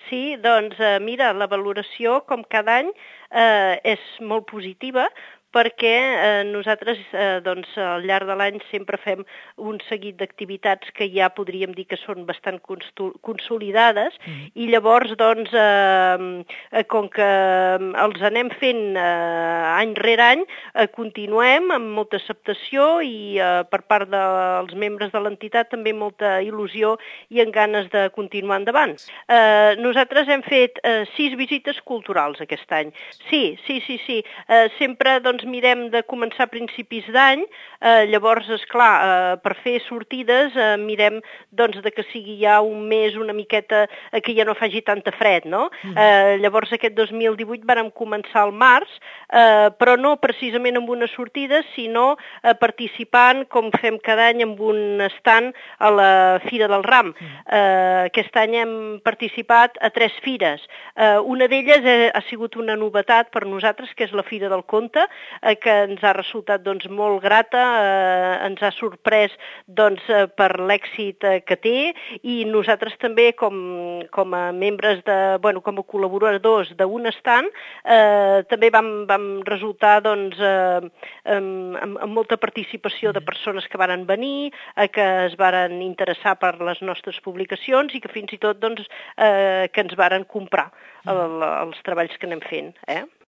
Sí, doncs mira, la valoració, com cada any, és molt positiva, perquè nosaltres doncs, al llarg de l'any sempre fem un seguit d'activitats que ja podríem dir que són bastant consolidades i llavors doncs, com que els anem fent any rere any, continuem amb molta acceptació i per part dels membres de l'entitat també molta il·lusió i amb ganes de continuar endavant. Nosaltres hem fet 6 visites culturals aquest any. Sí. Sempre doncs, mirem de començar a principis d'any, llavors, esclar, per fer sortides mirem doncs, de que sigui ja un mes una miqueta que ja no faci tanta fred, no? Llavors aquest 2018 vàrem començar al març, però no precisament amb una sortida, sinó participant, com fem cada any, amb un stand a la Fira del Ram. Aquest any hem participat a 3 fires. Una d'elles ha sigut una novetat per nosaltres, que és la Fira del Conte, que ens ha resultat doncs, molt grata, ens ha sorprès doncs, per l'èxit que té i nosaltres també com a membres, com a col·laboradors d'un stand, també vam resultar doncs, amb molta participació de persones que varen venir, que es varen interessar per les nostres publicacions i que fins i tot doncs, que ens varen comprar els treballs que anem fent.